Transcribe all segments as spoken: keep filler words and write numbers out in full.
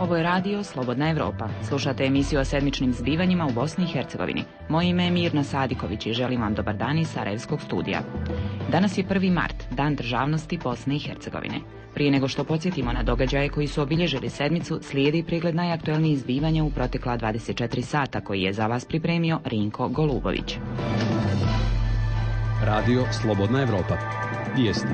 Ovo je radio Slobodna Evropa. Slušate emisiju o sedmičnim zbivanjima u Bosni i Hercegovini. Moje ime je Mirna Sadiković i želim vam dobar dan iz Sarajevskog studija. Danas je prvi mart, Dan državnosti Bosne i Hercegovine. Prije nego što podsjetimo na događaje koji su obilježili sedmicu, slijedi pregled najaktuelnijih zbivanja u protekla dvadeset četiri sata koji je za vas pripremio Rinko Golubović. Radio Slobodna Evropa. Vijesti.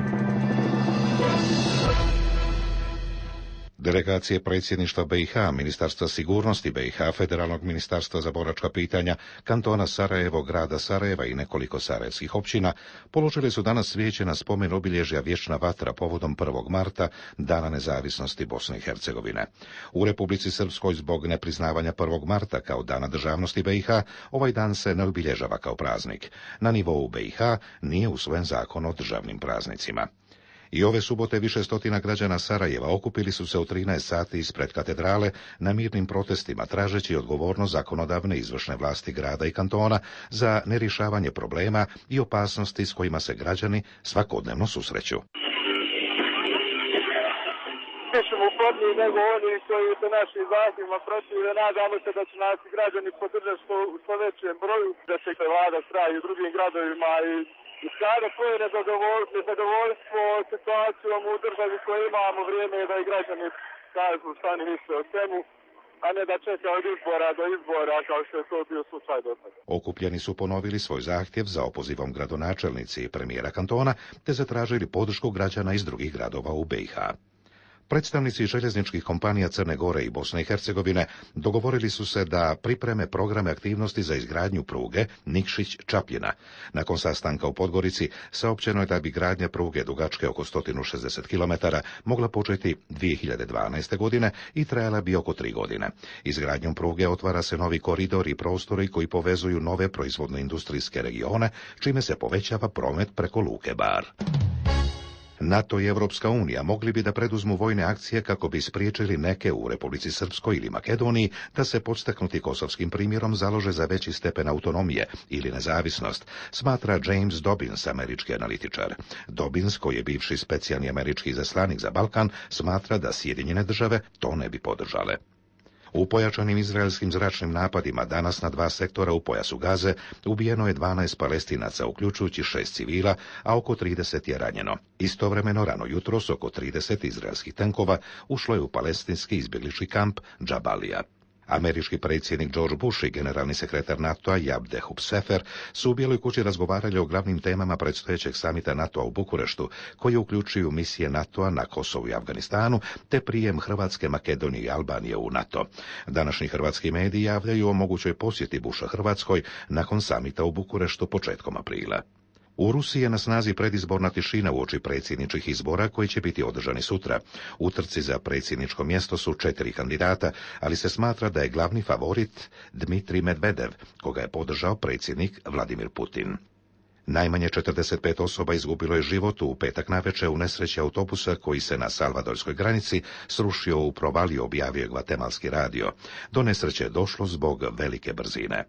Delegacije predsjedništva B i H, Ministarstva sigurnosti B i H, Federalnog ministarstva za boračka pitanja, kantona Sarajevo, grada Sarajeva i nekoliko sarajevskih općina položili su danas svijeće na spomen obilježja Vječna vatra povodom prvog marta, Dana nezavisnosti Bosne i Hercegovine. U Republici Srpskoj zbog nepriznavanja prvog marta kao Dana državnosti B i H, ovaj dan se ne obilježava kao praznik. Na nivou B i H nije usvojen zakon o državnim praznicima. I ove subote više stotina građana Sarajeva okupili su se u trinaest sati ispred katedrale na mirnim protestima, tražeći odgovornost zakonodavne izvršne vlasti grada i kantona za nerješavanje problema i opasnosti s kojima se građani svakodnevno susreću. Mi ćemo uporniji nego oni koji se našim zahtjevima protive. Nadamo se da će nas građani podržati što, što većem broju, da će se vlada straji u drugim gradovima i I sada koje nezadovoljstvo situacijom u državi koju imamo, vrijeme je da i građani kažu šta oni misle o svemu, a ne da čeka od izbora do izbora kao što je to bio slučaj do sada. Okupljeni su ponovili svoj zahtjev za opozivom gradonačelnici i premijera kantona, te zatražili podršku građana iz drugih gradova u B i H. Predstavnici željezničkih kompanija Crne Gore i Bosne i Hercegovine dogovorili su se da pripreme programe aktivnosti za izgradnju pruge Nikšić-Čapljina. Nakon sastanka u Podgorici saopćeno je da bi gradnja pruge dugačke oko sto šezdeset kilometara mogla početi dvije hiljade dvanaeste. godine i trajala bi oko tri godine. Izgradnjom pruge otvara se novi koridor i prostori koji povezuju nove proizvodno-industrijske regione, čime se povećava promet preko luke Bar. NATO i Evropska unija mogli bi da preduzmu vojne akcije kako bi spriječili neke u Republici Srpskoj ili Makedoniji da se podstaknuti kosovskim primjerom založe za veći stepen autonomije ili nezavisnost, smatra James Dobbins, američki analitičar. Dobbins, koji je bivši specijalni američki izaslanik za Balkan, smatra da Sjedinjene države to ne bi podržale. U pojačanim izraelskim zračnim napadima danas na dva sektora u pojasu Gaze ubijeno je dvanaest Palestinaca, uključujući šest civila, a oko trideset je ranjeno. Istovremeno rano jutros oko trideset izraelskih tenkova ušlo je u palestinski izbjeglički kamp Džabalija. Američki predsjednik George Bush i generalni sekretar NATO-a Abdehub Sefer su u Bijeloj kući razgovarali o glavnim temama predstojećeg samita NATO-a u Bukureštu, koji uključuju misije NATO-a na Kosovu i Afganistanu, te prijem Hrvatske, Makedonije i Albanije u NATO. Današnji hrvatski mediji javljaju o mogućoj posjeti Busha Hrvatskoj nakon samita u Bukureštu početkom aprila. U Rusiji je na snazi predizborna tišina uoči predsjedničkih izbora koji će biti održani sutra. U trci za predsjedničko mjesto su četiri kandidata, ali se smatra da je glavni favorit Dmitrij Medvedev, koga je podržao predsjednik Vladimir Putin. Najmanje četrdeset pet osoba izgubilo je život u petak navečer u nesreći autobusa koji se na salvadorskoj granici srušio u provaliju, objavio Gvatemalski radio. Do nesreće je došlo zbog velike brzine.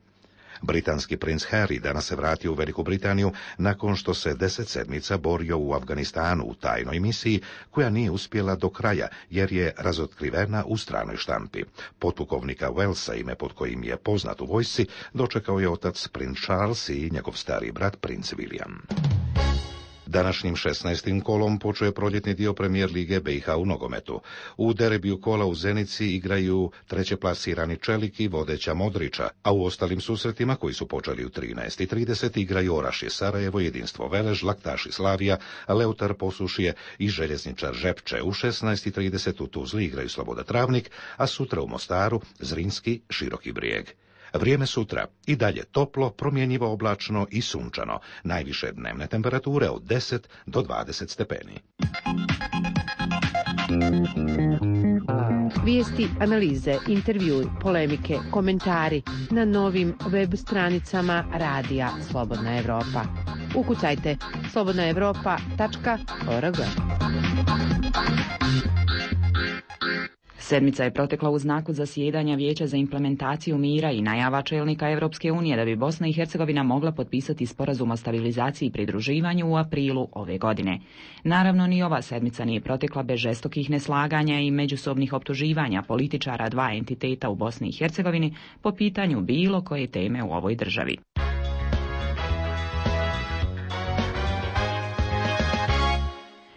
Britanski princ Harry danas se vratio u Veliku Britaniju nakon što se deset sedmica borio u Afganistanu u tajnoj misiji koja nije uspjela do kraja jer je razotkrivena u stranoj štampi. Potpukovnika Wellsa, ime pod kojim je poznat u vojsci, dočekao je otac princ Charles i njegov stari brat princ William. Današnjim šesnaestim kolom počeo proljetni dio premijer lige B i H u nogometu. U derbiju kola u Zenici igraju trećeplasirani Čelik i vodeća Modrića, a u ostalim susretima koji su počeli u trinaest i trideset igraju Orašje Sarajevo, Jedinstvo Velež, Laktaši Slavija, Leutar Posušje i Željezničar Žepče. U šesnaest i trideset u Tuzli igraju Sloboda Travnik, a sutra u Mostaru Zrinski Široki Brijeg. Vrijeme sutra i dalje toplo, promjenjivo oblačno i sunčano. Najviše dnevne temperature od deset do dvadeset stepeni. Vijesti, analize, intervjui, polemike, komentari na novim web stranicama Radija Slobodna Evropa. Ukucajte slobodna evropa tačka org. Sedmica je protekla u znaku zasjedanja Vijeća za implementaciju mira i najava čelnika Europske unije da bi Bosna i Hercegovina mogla potpisati sporazum o stabilizaciji i pridruživanju u aprilu ove godine. Naravno, ni ova sedmica nije protekla bez žestokih neslaganja i međusobnih optuživanja političara dva entiteta u Bosni i Hercegovini po pitanju bilo koje teme u ovoj državi.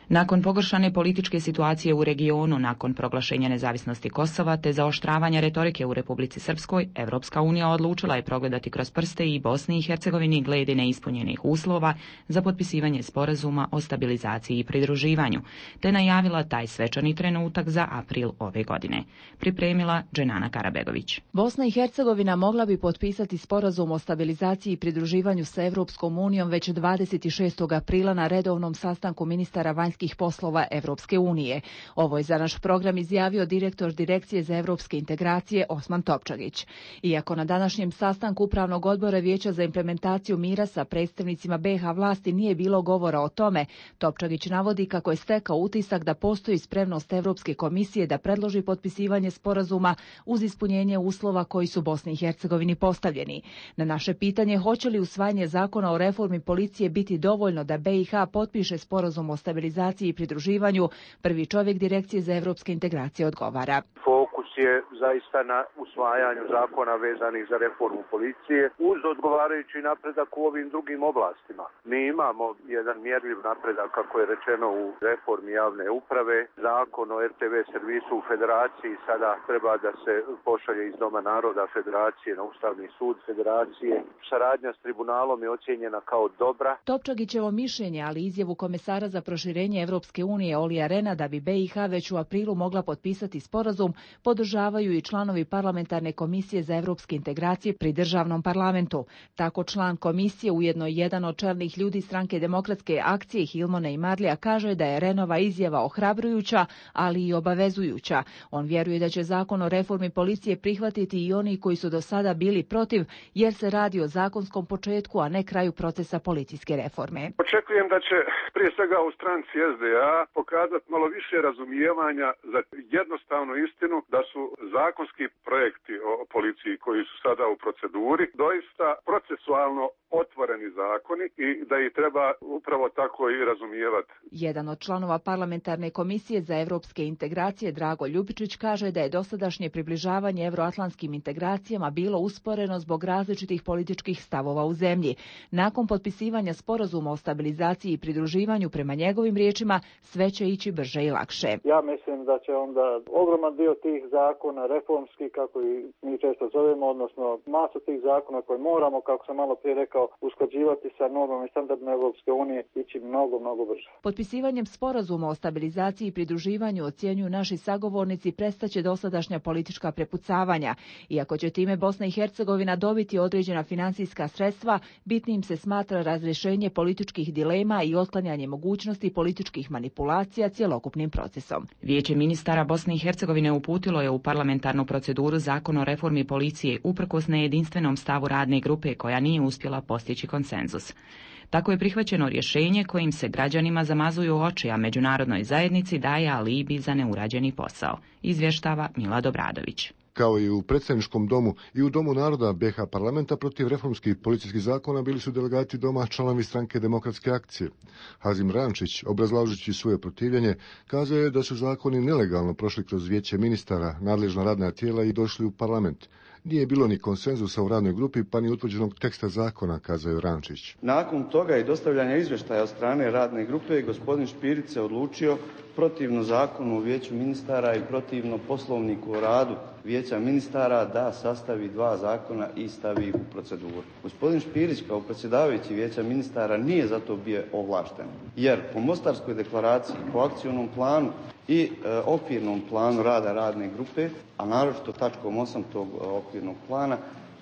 Nakon pogoršane političke situacije u regionu, nakon proglašenja nezavisnosti Kosova te zaoštravanja retorike u Republici Srpskoj, Evropska unija odlučila je progledati kroz prste i Bosni i Hercegovini glede neispunjenih uslova za potpisivanje sporazuma o stabilizaciji i pridruživanju, te najavila taj svečani trenutak za april ove godine. Pripremila Dženana Karabegović. Bosna i Hercegovina mogla bi potpisati sporazum o stabilizaciji i pridruživanju sa Evropskom unijom već dvadeset šestog aprila na redovnom sastanku ministara vanjskih poslova Evropske unije. Ovo je za naš program izjavio direktor Direkcije za evropske integracije Osman Topčagić. Iako na današnjem sastanku Upravnog odbora Vijeća za implementaciju mira sa predstavnicima be ha vlasti nije bilo govora o tome, Topčagić navodi kako je stekao utisak da postoji spremnost Evropske komisije da predloži potpisivanje sporazuma uz ispunjenje uslova koji su Bosni i Hercegovini postavljeni. Na naše pitanje hoće li usvajanje zakona o reformi policije biti dovoljno da be i ha potpiše sporazum o stabilizaciji i pridruživanju, prvi čovjek Direkcije za evropske integracije odgovara. Fokus je zaista na usvajanju zakona vezanih za reformu policije uz odgovarajući napredak u ovim drugim oblastima. Mi imamo jedan mjerljiv napredak, kako je rečeno, u reformi javne uprave. Zakon o er te ve servisu u federaciji sada treba da se pošalje iz Doma naroda federacije na Ustavni sud federacije. Saradnja s tribunalom je ocijenjena kao dobra. Topčagićevo mišljenje, ali izjavu komesara za proširenje Evropske unije Olija Rena da bi be i ha već u aprilu mogla potpisati sporazum, podržavaju i članovi parlamentarne komisije za evropske integracije pri državnom parlamentu. Tako član komisije, ujedno jedan od čelnih ljudi stranke Demokratske akcije Hilmona i Marlija, kaže da je Renova izjava ohrabrujuća, ali i obavezujuća. On vjeruje da će zakon o reformi policije prihvatiti i oni koji su do sada bili protiv, jer se radi o zakonskom početku, a ne kraju procesa policijske reforme. Očekujem da će prije svega u stranci es de a pokazati malo više razumijevanja za jednostavnu istinu da su zakonski projekti o policiji koji su sada u proceduri doista procesualno otvoreni zakoni i da ih treba upravo tako i razumijevati. Jedan od članova parlamentarne komisije za evropske integracije, Drago Ljubičić, kaže da je dosadašnje približavanje evroatlantskim integracijama bilo usporeno zbog različitih političkih stavova u zemlji. Nakon potpisivanja sporazuma o stabilizaciji i pridruživanju, prema njegovim riječima, sve će ići brže i lakše. Ja mislim da će onda ogroman dio tih zakona, reformski, kako i mi često zovemo, odnosno masu tih zakona koje moramo, kako sam malo prije rekao, usklađivati sa normama i standardima Evropske unije, ići mnogo, mnogo brže. Potpisivanjem sporazuma o stabilizaciji i pridruživanju, ocjenjuju naši sagovornici, prestaće dosadašnja politička prepucavanja. Iako će time Bosna i Hercegovina dobiti određena financijska sredstva, bitnim se smatra razrješenje političkih dilema i otklanjanje mogućnosti političkih manipulacija cjelokupnim procesom. Vijeće ministara Bosne i Hercegovine uputilo je u parlamentarnu proceduru zakon o reformi policije uprkos nejedinstvenom stavu radne grupe koja nije uspjela postići konsenzus. Tako je prihvaćeno rješenje kojim se građanima zamazuju oči, a međunarodnoj zajednici daje alibi za neurađeni posao, izvještava Milad Obradović. Kao i u predstavničkom domu i u Domu naroda be ha parlamenta protiv reformskih policijskih zakona bili su delegati doma članovi stranke Demokratske akcije. Hazim Rančić, obrazlažući svoje protivljenje, kazao je da su zakoni nelegalno prošli kroz vijeće ministara, nadležna radna tijela i došli u parlament. Nije bilo ni konsenzusa u radnoj grupi, pa ni utvrđenog teksta zakona, kazao je Rančić. Nakon toga i dostavljanja izvještaja od strane radne grupe, gospodin Špirić se odlučio protivno zakonu o vijeću ministara i protivno poslovniku o radu vijeća ministara da sastavi dva zakona i stavi ih u proceduru. Gospodin Špirić kao predsjedavajući vijeća ministara nije zato bio ovlašten, jer po Mostarskoj deklaraciji, po akcionom planu i e, okvirnom planu rada radne grupe, a naročito tačkom osam tog okvirnog plana,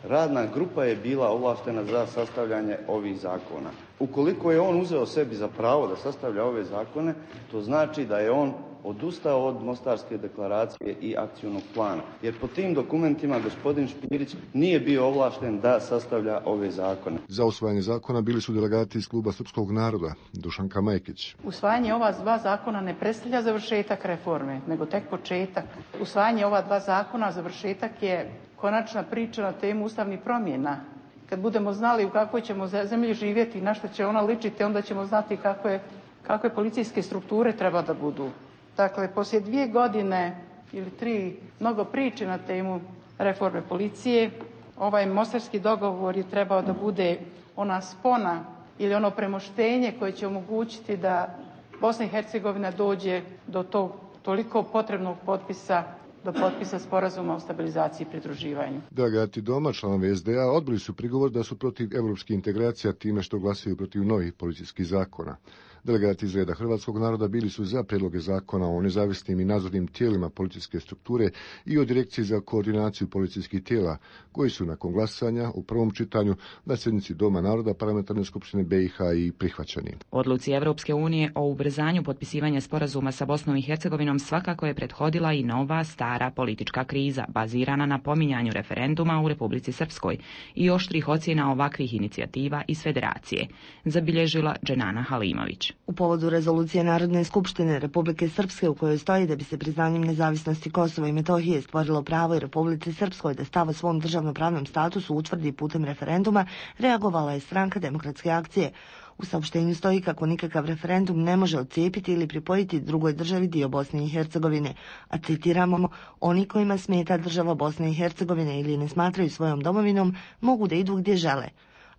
Radna grupa je bila ovlaštena za sastavljanje ovih zakona. Ukoliko je on uzeo sebi za pravo da sastavlja ove zakone, to znači da je on odustao od Mostarske deklaracije i akcionog plana. Jer po tim dokumentima gospodin Špirić nije bio ovlašten da sastavlja ove zakone. Za usvajanje zakona bili su delegati iz kluba Srpskog naroda, Dušanka Majkić. Usvajanje ova dva zakona ne predstavlja završetak reforme, nego tek početak. Usvajanje ova dva zakona, završetak je konačna priča na temu ustavnih promjena. Kad budemo znali u kakvoj ćemo zemlji živjeti i na što će ona ličiti, onda ćemo znati kakve, kakve policijske strukture treba da budu. Dakle, poslije dvije godine ili tri mnogo priče na temu reforme policije, ovaj mostarski dogovor je trebao da bude ona spona ili ono premoštenje koje će omogućiti da Bosna i Hercegovina dođe do tog toliko potrebnog potpisa, do potpisa sporazuma o stabilizaciji i pridruživanju. Delegati doma, članovi es de a, odbili su prigovor da su protiv evropskih integracija time što glasaju protiv novih policijskih zakona. Delegati iz reda hrvatskog naroda bili su za prijedloge zakona o nezavisnim i nadzornim tijelima policijske strukture i o direkciji za koordinaciju policijskih tijela, koji su nakon glasanja u prvom čitanju na sjednici Doma naroda Parlamentarne skupštine be i ha i prihvaćeni. Odluci Evropske unije o ubrzanju potpisivanja sporazuma sa Bosnom i Hercegovinom svakako je prethodila i nova stara politička kriza, bazirana na pominjanju referenduma u Republici Srpskoj i oštrih ocjena ovakvih inicijativa iz Federacije, zabilježila Dženana Halimović. U povodu rezolucije Narodne skupštine Republike Srpske u kojoj stoji da bi se priznanjem nezavisnosti Kosova i Metohije stvorilo pravo i Republici Srpskoj da stav o svom državnopravnom statusu utvrdi putem referenduma, reagovala je Stranka demokratske akcije. U saopštenju stoji kako nikakav referendum ne može odcijepiti ili pripojiti drugoj državi dio Bosne i Hercegovine, a citiramo, oni kojima smeta država Bosne i Hercegovine ili ne smatraju svojom domovinom mogu da idu gdje žele.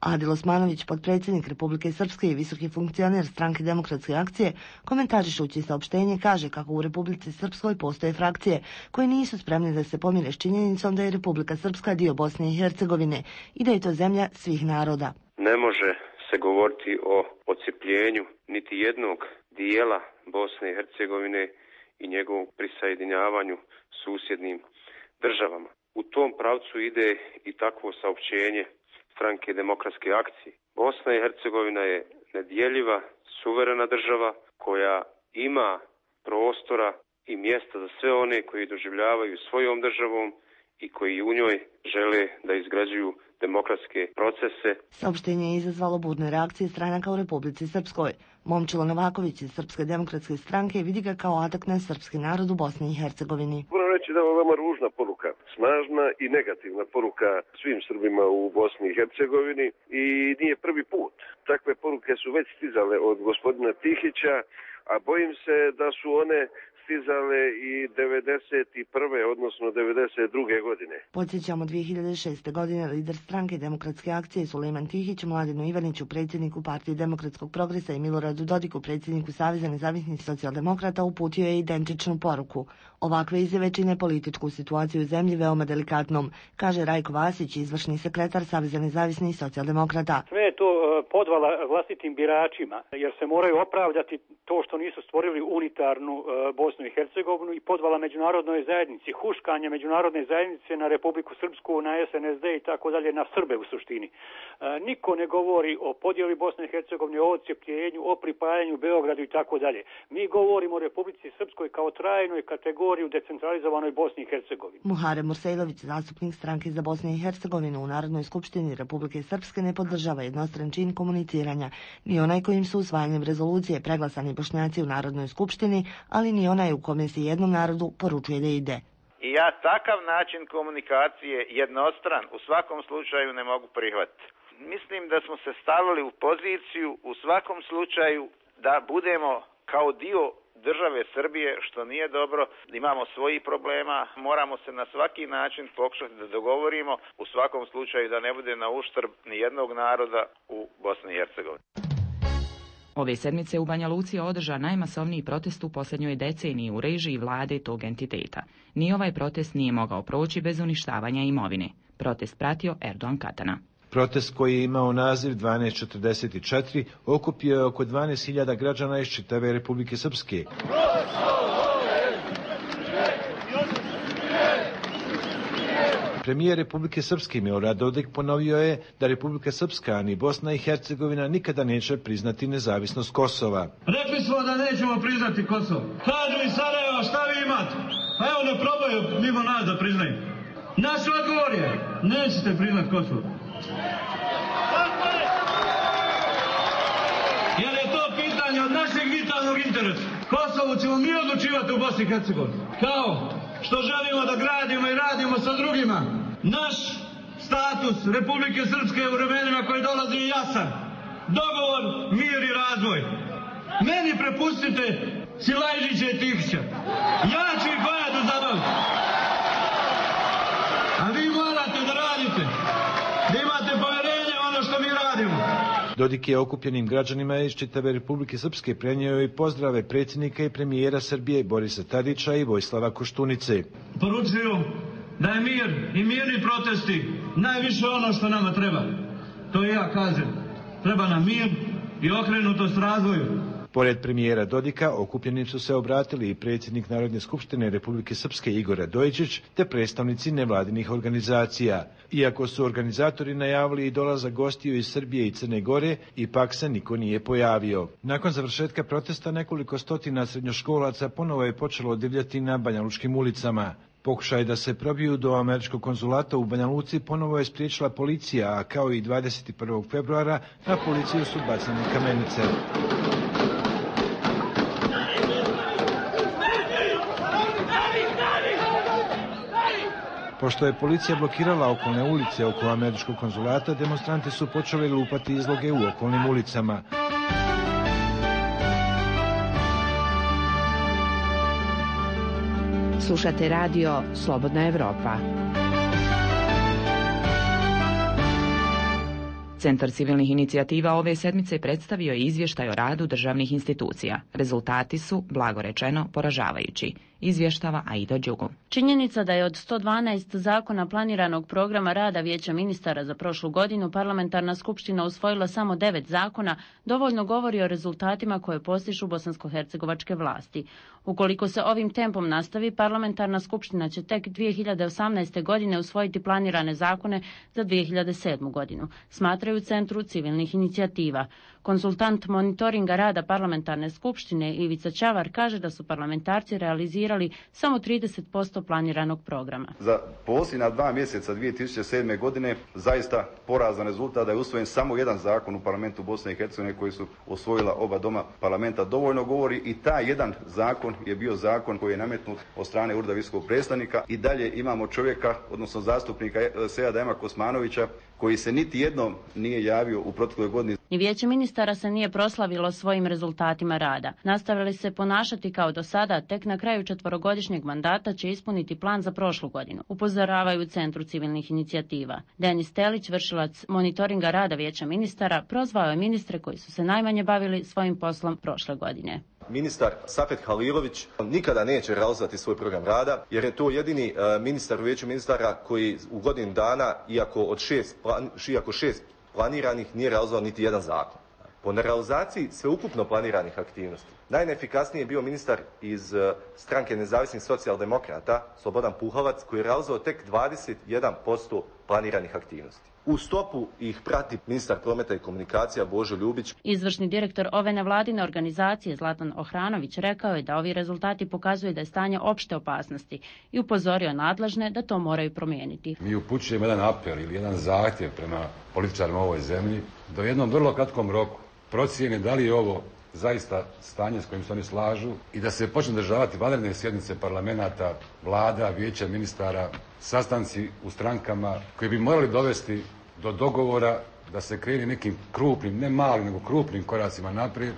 Adil Osmanović, potpredsjednik Republike Srpske i visoki funkcioner Stranke demokratske akcije, komentarišući saopštenje kaže kako u Republici Srpskoj postoje frakcije koje nisu spremne da se pomire s činjenicom da je Republika Srpska dio Bosne i Hercegovine i da je to zemlja svih naroda. Ne može se govoriti o odcijepljenju niti jednog dijela Bosne i Hercegovine i njegovom prisjedinjavanju susjednim državama. U tom pravcu ide i takvo saopćenje Stranke demokratske akcije. Bosna i Hercegovina je nedjeljiva, suverena država koja ima prostora i mjesta za sve one koji doživljavaju svojom državom i koji u njoj žele da izgrađuju demokratske procese. Saopštenje je izazvalo burne reakcije stranaka u Republici Srpskoj. Momčilo Novaković iz Srpske demokratske stranke vidi ga kao atak na srpski narod u Bosni i Hercegovini. Moram reći da je ovo veoma ružna poruka, snažna i negativna poruka svim Srbima u Bosni i Hercegovini i nije prvi put. Takve poruke su već stizale od gospodina Tihića, a bojim se da su one stizale i devedeset prve odnosno devedeset druge godine. Podsjećamo, dvije hiljade šeste. godine lider Stranke demokratske akcije Sulejman Tihić Mladenu Ivaniću, predsjedniku Partije demokratskog progresa, i Miloradu Dodiku, predsjedniku Saveza nezavisnih socijaldemokrata, uputio je identičnu poruku. Ovakve izjave čine političku situaciju u zemlji veoma delikatnom, kaže Rajko Vasić, izvršni sekretar Saveza nezavisnih socijaldemokrata. Sve je to podvala vlastitim biračima, jer se moraju opravdati to što nisu stvorili unitarnu Bosnu i Hercegovinu i podvala međunarodnoj zajednici, huškanje međunarodne zajednice na Republiku Srpsku, na es en es de i tako dalje, na Srbe u suštini. Niko ne govori o podjeli Bosne i Hercegovine, o odcijepljenju, o pripajanju Beogradu i tako dalje. Mi govorimo o Republici Srpskoj kao trajnoj kategoriji u decentralizovanoj Bosni i Hercegovini. Muharem Mursejlović, zastupnik Stranke za Bosnu i Hercegovinu u Narodnoj skupštini Republike Srpske, ne podržava jednostran čin komuniciranja, ni onaj kojim su usvajanjem rezolucije preglasani Bošnjaci u Narodnoj skupštini, ali ni onaj u kome se jednom narodu poručuje da ide. I ja takav način komunikacije jednostran u svakom slučaju ne mogu prihvatiti. Mislim da smo se stavili u poziciju u svakom slučaju da budemo kao dio države Srbije, što nije dobro, imamo svojih problema, moramo se na svaki način pokušati da dogovorimo, u svakom slučaju da ne bude na uštrb ni jednog naroda u Bosni i Hercegovini. Ove sedmice u Banja Luci je održan najmasovniji protest u posljednjoj deceniji u režiji vlade tog entiteta. Ni ovaj protest nije mogao proći bez uništavanja imovine. Protest pratio Erdogan Katana. Protest, koji je imao naziv dvanaest četrdeset četiri, okupio je oko dvanaest hiljada građana iz čitave Republike Srpske. Premijer Republike Srpske Milorad Dodik ponovio je da Republika Srpska ni Bosna i Hercegovina nikada neće priznati nezavisnost Kosova. Rekli smo da nećemo priznati Kosovo. Kažu iz Sarajeva, šta vi imate? Pa evo ne probaju mimo nas da priznaju. Naš odgovor je, nećete priznati Kosovo. Jer je to pitanje od našeg vitalnog interesa. Kosovo ćemo mi odlučivati u Bosni i Hercegovini. Kao što želimo da gradimo i radimo sa drugima. Naš status Republike Srpske u vremenima koji dolazi je jasan. Dogovor, mir i razvoj. Meni prepustite Silajžića i Tihića. Ja ću ih vajati za vas. A vi morate da radite. Da imate povjerenje ono što mi radimo. Dodik je okupljenim građanima iz čitave Republike Srpske prenio i pozdrave predsjednika i premijera Srbije Borisa Tadića i Vojislava Koštunice. Poručuju da je mir i mirni protesti najviše ono što nama treba. To i ja kažem. Treba nam mir i okrenutost razvoju. Pored premijera Dodika, okupljenim su se obratili i predsjednik Narodne skupštine Republike Srpske Igor Radojičić, te predstavnici nevladinih organizacija. Iako su organizatori najavili i dolazak gostiju iz Srbije i Crne Gore, ipak se niko nije pojavio. Nakon završetka protesta nekoliko stotina srednjoškolaca ponovo je počelo divljati na banjalučkim ulicama. Pokušaj da se probiju do američkog konzulata u Banja Luci ponovo je spriječila policija, a kao i dvadeset prvog februara na policiju su bacane kamenice. Pošto je policija blokirala okolne ulice oko američkog konzulata, demonstranti su počeli lupati izloge u okolnim ulicama. Slušate radio Slobodna Evropa. Centar civilnih inicijativa ove sedmice predstavio je izvještaj o radu državnih institucija. Rezultati su, blago rečeno, poražavajući. Izvještava Aida Đugu. Činjenica da je od sto dvanaest zakona planiranog programa rada Vijeća ministara za prošlu godinu parlamentarna skupština usvojila samo devet zakona, dovoljno govori o rezultatima koje postižu bosansko-hercegovačke vlasti. Ukoliko se ovim tempom nastavi, parlamentarna skupština će tek dvije hiljade osamnaeste. godine usvojiti planirane zakone za dvije hiljade sedmu. godinu, smatraju u Centru civilnih inicijativa. Konsultant monitoringa rada parlamentarne skupštine Ivica Čavar kaže da su parlamentarci realizirali samo trideset posto planiranog programa. Za posljednja dva mjeseca dvije tisuće sedme. godine zaista porazan rezultat da je usvojen samo jedan zakon u parlamentu Bosne i Hercegovine koji su osvojila oba doma parlamenta. Dovoljno govori i taj jedan zakon je bio zakon koji je nametnut od strane Ureda visokog predstavnika. I dalje imamo čovjeka, odnosno zastupnika Seada Ema Kosmanovića, koji se niti jednom nije javio u protekloj godini. Ni Vijeće ministara se nije proslavilo svojim rezultatima rada. Nastavili se ponašati kao do sada, tek na kraju četvorogodišnjeg mandata će ispuniti plan za prošlu godinu, upozoravaju u Centru civilnih inicijativa. Denis Telić, vršilac monitoringa rada Vijeća ministara, prozvao je ministre koji su se najmanje bavili svojim poslom prošle godine. Ministar Safet Halilović nikada neće realizovati svoj program rada, jer je to jedini uh, ministar u Vijeću ministara koji u godinu dana, iako od šest, plan, iako šest planiranih, nije realizovao niti jedan zakon. Po nerealizaciji sveukupno planiranih aktivnosti, najneefikasniji je bio ministar iz uh, stranke nezavisnih socijaldemokrata, Slobodan Puhalac, koji je realizovao tek dvadeset jedan posto planiranih aktivnosti. U stopu ih prati ministar prometa i komunikacija Božo Ljubić. Izvršni direktor ove nevladine organizacije Zlatan Ohranović rekao je da ovi rezultati pokazuju da je stanje opšte opasnosti i upozorio nadležne da to moraju promijeniti. Mi upućujemo jedan apel ili jedan zahtjev prema političarima u ovoj zemlji da u jednom vrlo kratkom roku procijene da li je ovo zaista stanje s kojim se oni slažu i da se počne održavati vanredne sjednice parlamenata, vlada, vijeća ministara, sastanci u strankama koji bi morali dovesti do dogovora da se krene nekim krupnim, ne malim, nego krupnim koracima naprijed.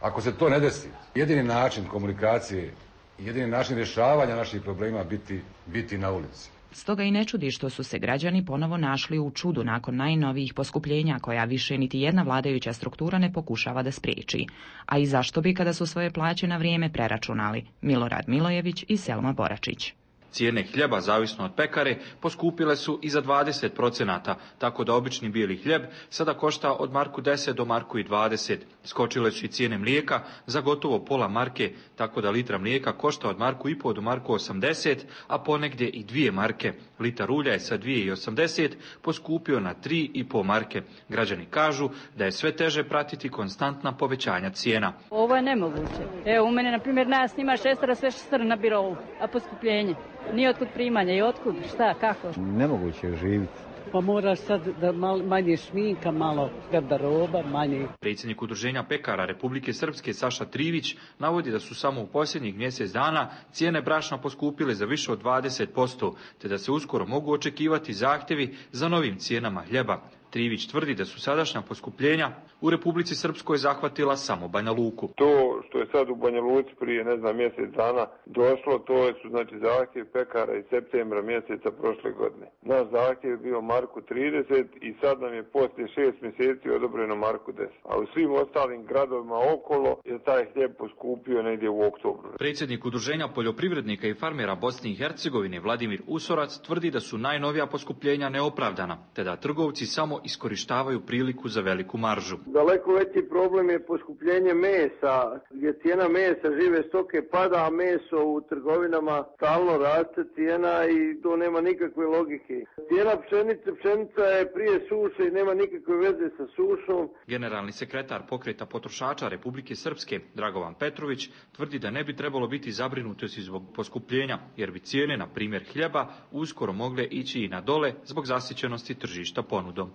Ako se to ne desi, jedini način komunikacije i jedini način rješavanja naših problema biti, biti na ulici. Stoga i ne čudi što su se građani ponovo našli u čudu nakon najnovijih poskupljenja koja više niti jedna vladajuća struktura ne pokušava da spriječi. A i zašto bi kada su svoje plaće na vrijeme preračunali? Milorad Milojević i Selma Boračić. Cijene hljeba, zavisno od pekare, poskupile su i za dvadeset procenata, tako da obični bijeli hljeb sada košta od marku deset do marku i dvadeset. Skočile su i cijene mlijeka za gotovo pola marke, tako da litra mlijeka košta od marku i pol do marku osamdeset, a ponegdje i dvije marke. Litar ulja je sa dvije i osamdeset poskupio na tri i pol marke. Građani kažu da je sve teže pratiti konstantna povećanja cijena. Ovo je nemoguće. Evo, u mene, na primjer, nas ima šestara, sve šestara na birovu, a poskupljenje. Nije otkud primanja i otkud, šta, kako? Nemoguće je živjeti. Pa moraš sad da mal, manje šminka, malo garderoba, manje. Predsjednik Udruženja pekara Republike Srpske Saša Trivić navodi da su samo u posljednjih mjesec dana cijene brašna poskupile za više od dvadeset posto, te da se uskoro mogu očekivati zahtjevi za novim cijenama hljeba. Trivić tvrdi da su sadašnja poskupljenja u Republici Srpskoj zahvatila samo Banja Luku. To što je sad u Banja Luci prije, ne znam, mjesec dana došlo, to su znači zahtjev pekara iz septembra mjeseca prošle godine. Naš zahtjev je bio marku trideset i sad nam je poslije šest mjeseci odobreno marku deset. A u svim ostalim gradovima okolo je taj hljeb poskupio negdje u oktobru. Predsjednik Udruženja poljoprivrednika i farmera Bosne i Hercegovine Vladimir Usorac tvrdi da su najnovija poskupljenja neopravdana, te da trgovci samo iskorištavaju priliku za veliku maržu. Daleko veći problem je poskupljenje mesa, gdje cijena mesa žive stoke pada, a meso u trgovinama stalno raste cijena i to nema nikakve logike. Cijena pšenice, pšenica je prije suše i nema nikakve veze sa sušom. Generalni sekretar Pokreta potrošača Republike Srpske Dragovan Petrović tvrdi da ne bi trebalo biti zabrinutosti zbog poskupljenja, jer bi cijene, na primjer hljeba, uskoro mogle ići i na dole zbog zasićenosti tržišta ponudom.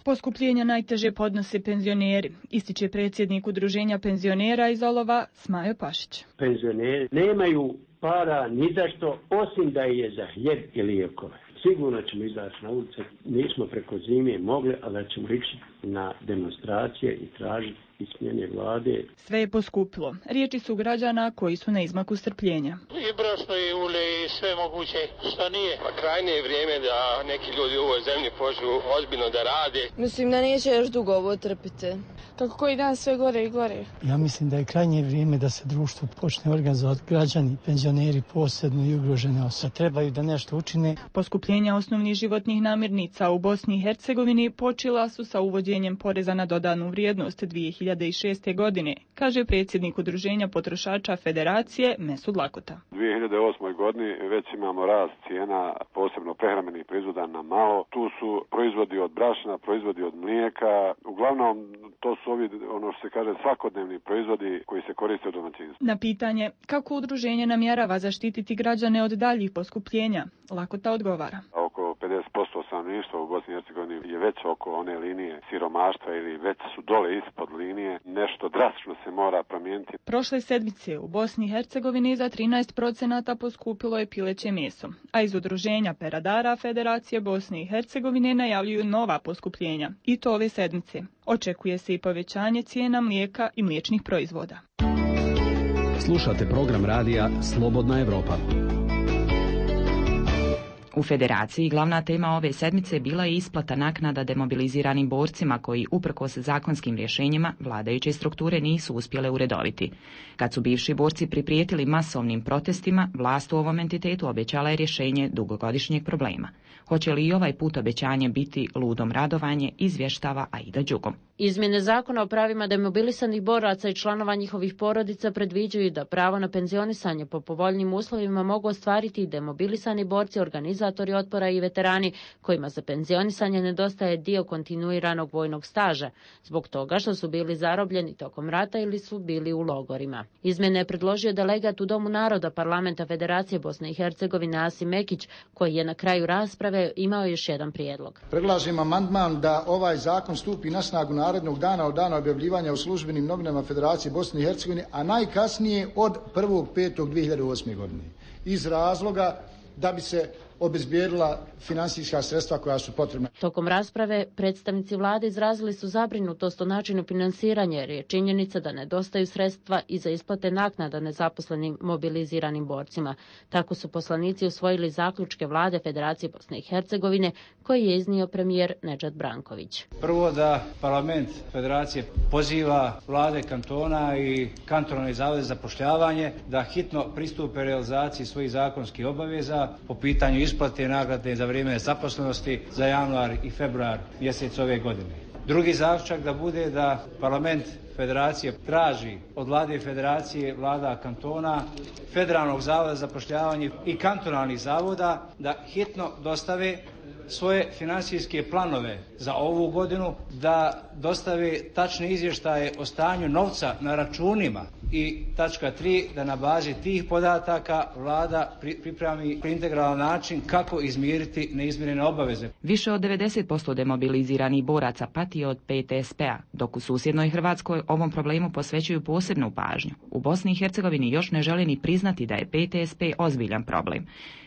Poskupljenja najteže podnose penzioneri, ističe predsjednik Udruženja penzionera iz Olova Smajo Pašić. Penzioneri nemaju para ni za što, osim da je za hljeb i lijekove. Sigurno ćemo izaći na ulice, nismo preko zime mogli, ali ćemo ići na demonstracije i tražiti smjene vlade. Sve je poskupilo. Riječi su građana koji su na izmaku strpljenja. I brašno i ulje i sve moguće, šta nije. Pa krajnje je vrijeme da neki ljudi u ovoj zemlji počnu ozbiljno da rade. Mislim da neće još dugo ovo trpiti. Kako koji dan sve gore i gore. Ja mislim da je krajnje vrijeme da se društvo počne organizovati, građani, penzioneri posebno i ugrožene osobe. Trebaju da nešto učine. Poskupljenja osnovnih životnih namirnica u Bosni i Hercegovini počela su sa uvođenjem poreza na dodanu vrijednost dvije hiljade šeste. godine, kaže predsjednik Udruženja potrošača Federacije Mesud Lakota. U dvije hiljade osmoj. godini već imamo rast cijena, posebno prehrambenih proizvoda na malo. Tu su proizvodi od brašna, proizvodi od mlijeka. Uglavnom, to su ovi, ono što se kaže, svakodnevni proizvodi koji se koriste u domaćinstvu. Na pitanje kako udruženje namjerava zaštititi građane od daljih poskupljenja, Lakota odgovara. Oko pedeset posto stanovništva u Bosni i Hercegovini je već oko one linije siromaštva ili već su dole ispod linije. Nešto drastično se mora promijeniti. Prošle sedmice u Bosni i Hercegovini za trinaest procenata poskupilo je pileće meso, a iz udruženja peradara Federacije Bosne i Hercegovine najavljuju nova poskupljenja, i to ove sedmice. Očekuje se i povećanje cijena mlijeka i mliječnih proizvoda. Slušate program radija Slobodna Evropa. U Federaciji glavna tema ove sedmice bila je isplata naknada demobiliziranim borcima koji, uprkos zakonskim rješenjima, vladajuće strukture nisu uspjele uredoviti. Kad su bivši borci priprijetili masovnim protestima, vlast u ovom entitetu obećala je rješenje dugogodišnjeg problema. Hoće li i ovaj put obećanje biti ludom radovanje, izvještava Aida Đugom. Izmjene zakona o pravima demobilisanih boraca i članova njihovih porodica predviđaju da pravo na penzionisanje po povoljnim uslovima mogu ostvariti i demobilisani borci, organizatori otpora i veterani kojima za penzionisanje nedostaje dio kontinuiranog vojnog staža, zbog toga što su bili zarobljeni tokom rata ili su bili u logorima. Izmjene je predložio delegat u Domu naroda Parlamenta Federacije Bosne i Hercegovine Asim Mekić, koji je na kraju rasprave imao još jedan prijedlog. Predlažem amandman da ovaj zakon stupi na snagu narednog dana od dana objavljivanja u službenim novinama Federacije Bosne i Hercegovine, a najkasnije od prvog petog dvije hiljade osme. godine. Iz razloga da bi se obezbijedila financijska sredstva koja su potrebna. Tokom rasprave predstavnici vlade izrazili su zabrinutost o načinu finansiranja jer je činjenica da nedostaju sredstva i za isplate naknada nezaposlenim mobiliziranim borcima. Tako su poslanici usvojili zaključke vlade Federacije Bosne i Hercegovine koji je iznio premijer Nedžad Branković. Prvo da parlament Federacije poziva vlade kantona i kantonalne zavode za zapošljavanje da hitno pristupe realizaciji svojih zakonskih obaveza po pitanju isplate nagrade za vrijeme nezaposlenosti za januar i februar mjesec ove godine. Drugi zaključak da bude da parlament Federacije traži od vlade Federacije, vlada kantona, Federalnog zavoda za zapošljavanje i kantonalnih zavoda da hitno dostave svoje financijske planove za ovu godinu, da dostave tačne izvještaje o stanju novca na računima i tačka tri, da na bazi tih podataka vlada pripremi integralan način kako izmiriti neizmirene obaveze. Više od devedeset posto demobiliziranih boraca pati od P T S P-a, dok u susjednoj Hrvatskoj ovom problemu posvećuju posebnu pažnju. U Bosni i Hercegovini još ne žele ni priznati da je P T S P ozbiljan problem.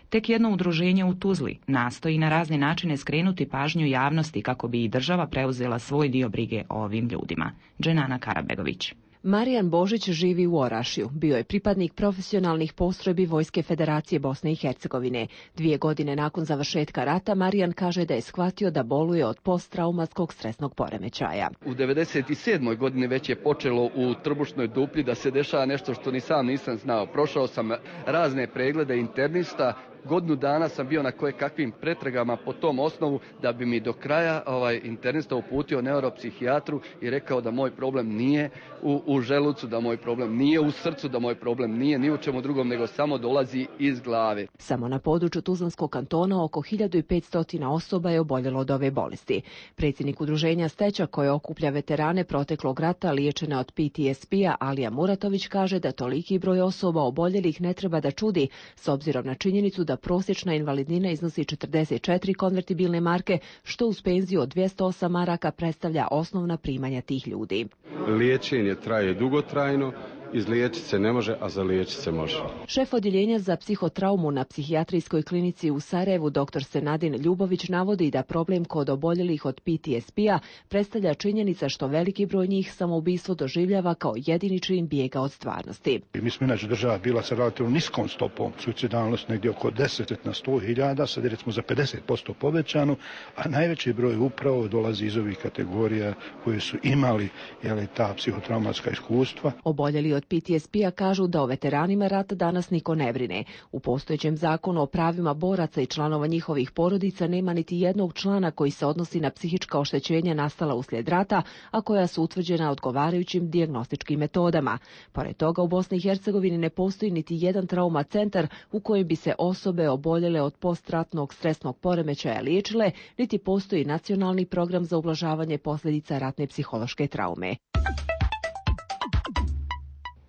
Tek jedno udruženje u Tuzli nastoji na razne načine skrenuti pažnju javnosti kako bi i država preuzela svoj dio brige o ovim ljudima. Dženana Karabegović. Marijan Božić živi u Orašju. Bio je pripadnik profesionalnih postrojbi Vojske Federacije Bosne i Hercegovine. Dvije godine nakon završetka rata Marijan kaže da je shvatio da boluje od posttraumatskog stresnog poremećaja. U devedeset sedmoj godini već je počelo u trbušnoj duplji da se dešava nešto što ni sam nisam znao. Prošao sam razne preglede internista. Godinu dana sam bio na koje kakvim pretragama po tom osnovu da bi mi do kraja ovaj internista uputio neuropsihijatru i rekao da moj problem nije u, u želucu, da moj problem nije u srcu, da moj problem nije ni u čemu drugom, nego samo dolazi iz glave. Samo na području Tuzlanskog kantona oko hiljadu petsto osoba je oboljelo od ove bolesti. Predsjednik udruženja Steća koje okuplja veterane proteklog rata liječene od P T S P-a Alija Muratović kaže da toliki broj osoba oboljelih ne treba da čudi s obzirom na činjenicu da da prosječna invalidnina iznosi četrdeset četiri konvertibilne marke, što uz penziju od dvjesto osam maraka predstavlja osnovna primanja tih ljudi. Liječenje traje dugotrajno, izliječiti se ne može, a zaliječiti se može. Šef odjeljenja za psihotraumu na psihijatrijskoj klinici u Sarajevu, dr Senadin Ljubović, navodi da problem kod oboljelih od P T S P-a predstavlja činjenica što veliki broj njih samoubistvo doživljava kao jedini čin bijega od stvarnosti. Mi smo inače država bila sa relativno niskom stopom suicidalnosti, negdje oko deset na sto hiljada, sad je recimo za pedeset posto povećano, a najveći broj upravo dolazi iz ovih kategorija koje su imali jeli, ta psihotraumatska iskustva. Oboljeli od P T S P-a kažu da o veteranima rata danas niko ne brine. U postojećem zakonu o pravima boraca i članova njihovih porodica nema niti jednog člana koji se odnosi na psihička oštećenja nastala uslijed rata, a koja su utvrđena odgovarajućim dijagnostičkim metodama. Pored toga u Bosni i Hercegovini ne postoji niti jedan trauma centar u kojem bi se osobe oboljele od postratnog stresnog poremećaja liječile, niti postoji nacionalni program za ublažavanje posljedica ratne psihološke traume.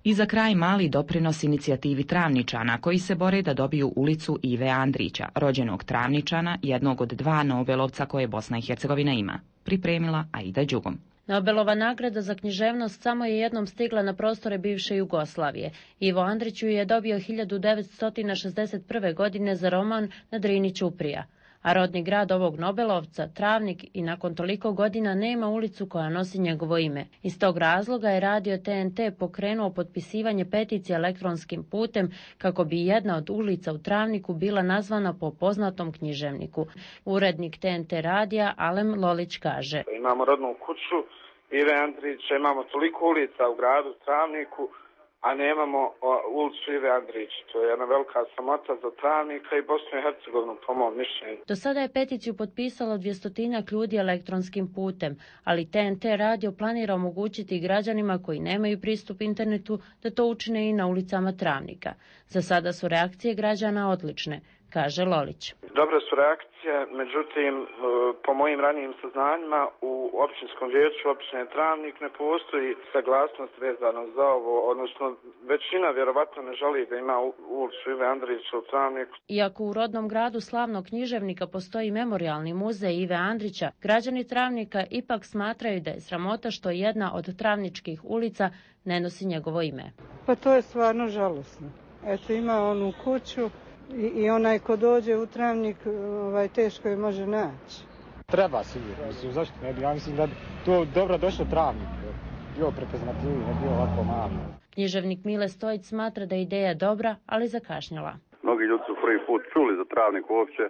I za kraj mali doprinos inicijativi Travničana koji se bore da dobiju ulicu Ive Andrića, rođenog Travničana, jednog od dva Nobelovca koje Bosna i Hercegovina ima. Pripremila Aida Đugom. Nobelova nagrada za književnost samo je jednom stigla na prostore bivše Jugoslavije. Ivo Andrić ju je dobio hiljadu devetsto šezdeset prve. godine za roman Na Drini ćuprija. A rodni grad ovog Nobelovca, Travnik, i nakon toliko godina nema ulicu koja nosi njegovo ime. Iz tog razloga je radio T N T pokrenuo potpisivanje peticije elektronskim putem kako bi jedna od ulica u Travniku bila nazvana po poznatom književniku. Urednik T N T radija Alem Lolić kaže: Imamo rodnu kuću Ive Andrića, imamo toliko ulica u gradu Travniku, a nemamo ulicu Ive Andrića. To je jedna velika sramota za Travnika i Bosnu i Hercegovinu, po mom mišljenju. Do sada je peticiju potpisalo dvjestotinjak ljudi elektronskim putem, ali T N T radio planira omogućiti građanima koji nemaju pristup internetu da to učine i na ulicama Travnika. Za sada su reakcije građana odlične, kaže Lolić. Dobre su reakcije, međutim, po mojim ranijim saznanjima u općinskom vijeću općine Travnik ne postoji saglasnost vezano za ovo, odnosno većina vjerovatno ne želi da ima ulicu Ive Andrića u Travniku. Iako u rodnom gradu slavnog književnika postoji memorijalni muzej Ive Andrića, građani Travnika ipak smatraju da je sramota što jedna od travničkih ulica ne nosi njegovo ime. Pa to je stvarno žalosno. Eto, ima onu kuću I, i onaj ko dođe u Travnik, ovaj, teško je može naći. Treba sigurno, mislim, zašto ne bi, ja mislim da to dobro došlo Travnik, bio prepoznatljivi, ne bio ovako malo. Književnik Mile Stojić smatra da je ideja dobra, ali zakašnjela. Mnogi ljudi su prvi put čuli za Travnik uopće,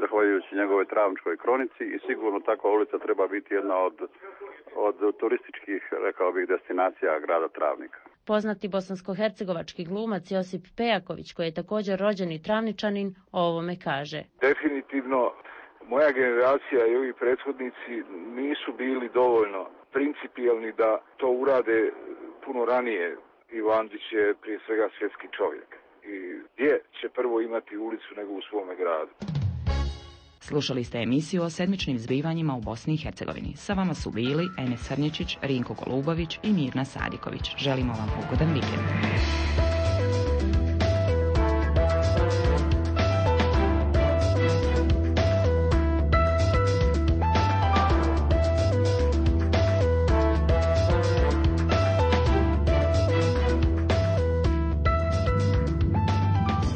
zahvaljujući njegove travničkoj kronici i sigurno takva ulica treba biti jedna od, od turističkih, rekao bih, destinacija grada Travnika. Poznati bosansko-hercegovački glumac Josip Pejaković, koji je također rođeni Travničanin, o ovome kaže. Definitivno, moja generacija i ovi prethodnici nisu bili dovoljno principijelni da to urade puno ranije. Ivandić je prije svega svjetski čovjek. I gdje će prvo imati ulicu nego u svome gradu? Slušali ste emisiju o sedmičnim zbivanjima u Bosni i Hercegovini. Sa vama su bili Enes Srnječić, Rinko Golubović i Mirna Sadiković. Želimo vam ugodan vikend.